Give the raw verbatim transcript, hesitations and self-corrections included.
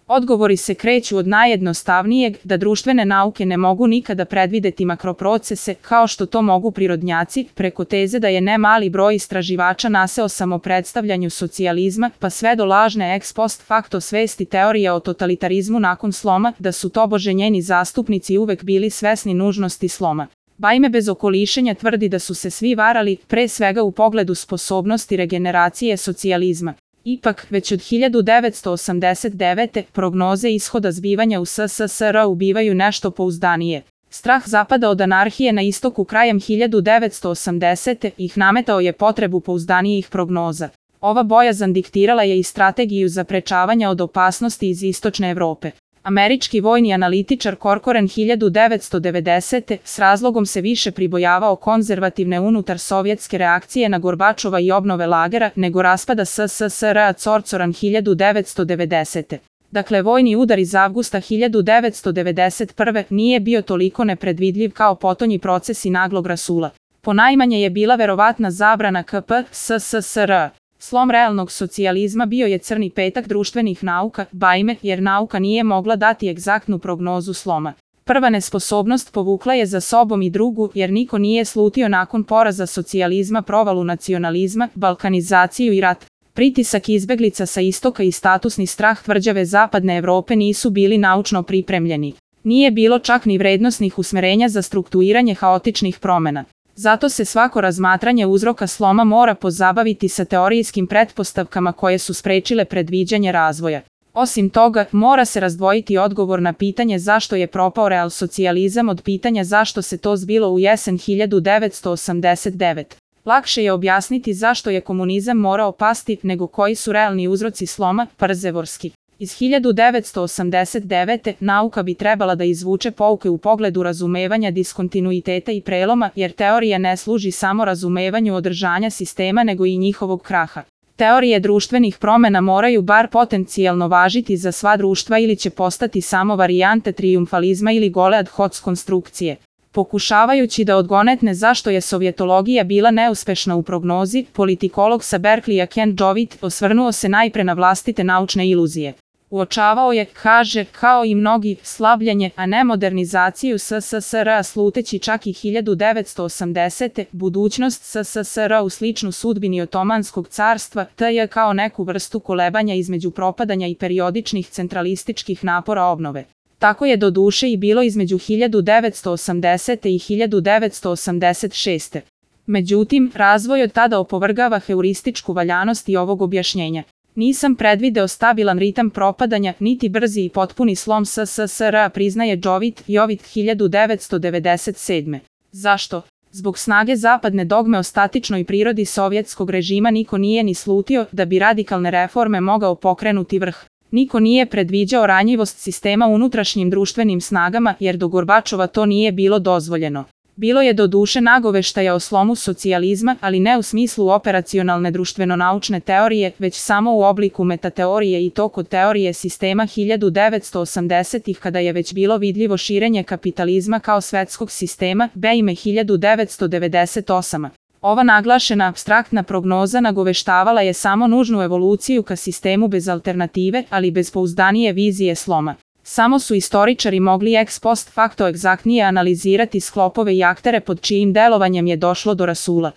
Odgovori se kreću od najjednostavnijeg, da društvene nauke ne mogu nikada predvideti makroprocese, kao što to mogu prirodnjaci, preko teze da je ne mali broj istraživača naseo samopredstavljanju socijalizma, pa sve do lažne ex post facto svesti teorija o totalitarizmu nakon sloma, da su tobože njeni zastupnici uvek bili svesni nužnosti sloma. Bajme bez okolišenja tvrdi da su se svi varali, pre svega u pogledu sposobnosti regeneracije socijalizma. Ipak, već od hiljadu devetsto osamdeset devete. prognoze ishoda zbivanja u S S S R ubivaju nešto pouzdanije. Strah zapada od anarhije na istoku krajem hiljadu devetsto osamdesete. ih nametao je potrebu pouzdanijih prognoza. Ova bojazan diktirala je i strategiju zaprečavanja od opasnosti iz istočne Evrope. Američki vojni analitičar Corcoran hiljadu devetsto devedesete. s razlogom se više pribojavao konzervativne unutar sovjetske reakcije na Gorbačova i obnove lagera nego raspada S S S R. Corcoran hiljadu devetsto devedesete. Dakle, vojni udar iz avgusta hiljadu devetsto devedeset prve. nije bio toliko nepredvidljiv kao potonji procesi naglog rasula. Ponajmanje je bila verovatna zabrana K P S S S R. Slom realnog socijalizma bio je crni petak društvenih nauka, bajme, jer nauka nije mogla dati egzaktnu prognozu sloma. Prva nesposobnost povukla je za sobom i drugu, jer niko nije slutio nakon poraza socijalizma provalu nacionalizma, balkanizaciju i rat. Pritisak izbeglica sa istoka i statusni strah tvrđave zapadne Evrope nisu bili naučno pripremljeni. Nije bilo čak ni vrednosnih usmerenja za strukturiranje haotičnih promena. Zato se svako razmatranje uzroka sloma mora pozabaviti sa teorijskim pretpostavkama koje su sprečile predviđanje razvoja. Osim toga, mora se razdvojiti odgovor na pitanje zašto je propao realsocijalizam od pitanja zašto se to zbilo u jesen hiljadu devetsto osamdeset devete. Lakše je objasniti zašto je komunizam morao pasti nego koji su realni uzroci sloma, Parzevorski. Iz hiljadu devetsto osamdeset devete. nauka bi trebala da izvuče pouke u pogledu razumevanja diskontinuiteta i preloma, jer teorija ne služi samo razumevanju održanja sistema nego i njihovog kraha. Teorije društvenih promena moraju bar potencijalno važiti za sva društva ili će postati samo varijante trijumfalizma ili gole ad hoc konstrukcije. Pokušavajući da odgonetne zašto je sovjetologija bila neuspešna u prognozi, politikolog sa Berkleya Ken Jovit osvrnuo se najpre na vlastite naučne iluzije. Uočavao je, kaže, kao i mnogi, slabljenje, a ne modernizaciju S S S R, sluteći čak i hiljadu devetsto osamdesete. budućnost S S S R u sličnu sudbini Otomanskog carstva, tj. kao neku vrstu kolebanja između propadanja i periodičnih centralističkih napora obnove. Tako je doduše i bilo između hiljadu devetsto osamdesete. i hiljadu devetsto osamdeset šeste. Međutim, razvoj od tada opovrgava heurističku valjanost i ovog objašnjenja. Nisam predvideo stabilan ritam propadanja, niti brzi i potpuni slom S S S R, priznaje Jovit, Jovit hiljadu devetsto devedeset sedme. Zašto? Zbog snage zapadne dogme o statičnoj prirodi sovjetskog režima niko nije ni slutio da bi radikalne reforme mogao pokrenuti vrh. Niko nije predviđao ranjivost sistema unutrašnjim društvenim snagama, jer do Gorbačova to nije bilo dozvoljeno. Bilo je doduše nagoveštaja o slomu socijalizma, ali ne u smislu operacionalne društveno-naučne teorije, već samo u obliku metateorije i to kod teorije sistema hiljadu devetsto osamdesetih kada je već bilo vidljivo širenje kapitalizma kao svetskog sistema, Bejme hiljadu devetsto devedeset osme. Ova naglašena apstraktna prognoza nagoveštavala je samo nužnu evoluciju ka sistemu bez alternative, ali bez pouzdanije vizije sloma. Samo su istoričari mogli ex post facto egzaktnije analizirati sklopove i aktere pod čijim delovanjem je došlo do rasula.